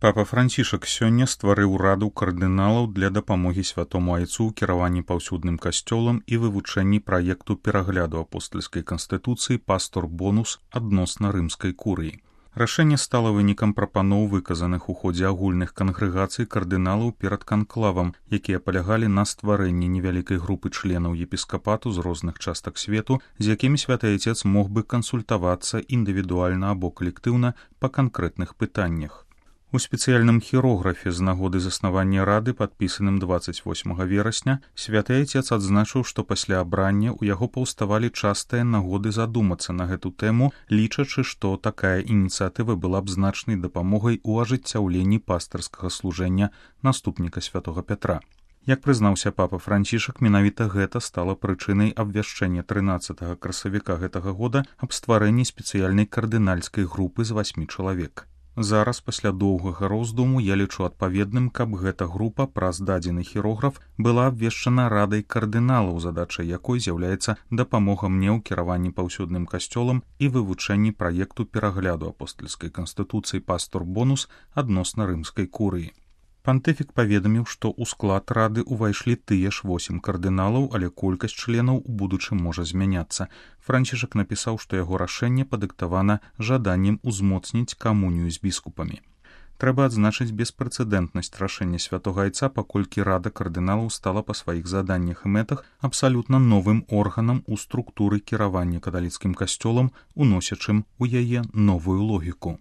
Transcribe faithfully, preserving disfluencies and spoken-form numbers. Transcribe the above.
Папа Францішак сёння стварыў раду кардыналаў для дапамогі святому айцу ў кіраванні паўсюдным касцёлам і вывучэнні праекту перагляду апостальскай канстытуцыі «Пастор Бонус» адносна рымскай курыі. Рашэнне стала вынікам прапаноў, выказаных у ходзе агульных кангрэгацый кардыналаў перад канклавам, якія палягалі на стварэнні невялікай групы членаў епіскапату з розных частак свету, з якімі святы айцец мог бы кансультавацца індывідуальна або калектыўна па канкрэтных пытаннях. У спецыяльным хірографе з нагоды заснавання рады, падпісаным дваццаць восьмага верасня, святы айцец адзначыў, што пасля абрання ў яго паўставалі частыя нагоды задумацца на гэту тэму, лічачы, што такая ініцыятыва была б значнай дапамогай у ажыццяўленні пастырскага служэння наступніка святога Пятра. Як прызнаўся папа Францішак, менавіта гэта стала прычынай абвяшчэння трынаццатага красавіка гэтага года аб стварэнні спецыяльнай кардынальскай групы з васьмі чалавек. Зараз, пасля доўгага роздуму, я лічу адпаведным, каб гэта група праз дадзены хірограф была абвешчана радай кардыналаў, задачай якой з'яўляецца дапамога мне ў кіраванні паўсюдным касцёлам і вывучэнні праекту перагляду апостальскай канстытуцыі «Пастор Бонус» адносна рымскай курыі. Пантыфік паведаміў, што ў склад рады ўвайшлі тыя ж восем кардыналаў, але колькасць членаў у будучым можа змяняцца. Францішак напісаў, што яго рашэнне падыктавана жаданнем узмоцніць камунію з біскупамі. Трэба адзначыць беспрэцэдэнтнасць рашэння святога айца, паколькі рада кардыналаў стала па сваіх заданнях і мэтах абсалютна новым органам у структуры кіравання каталіцкім касцёлам, уносячым у яе новую логіку.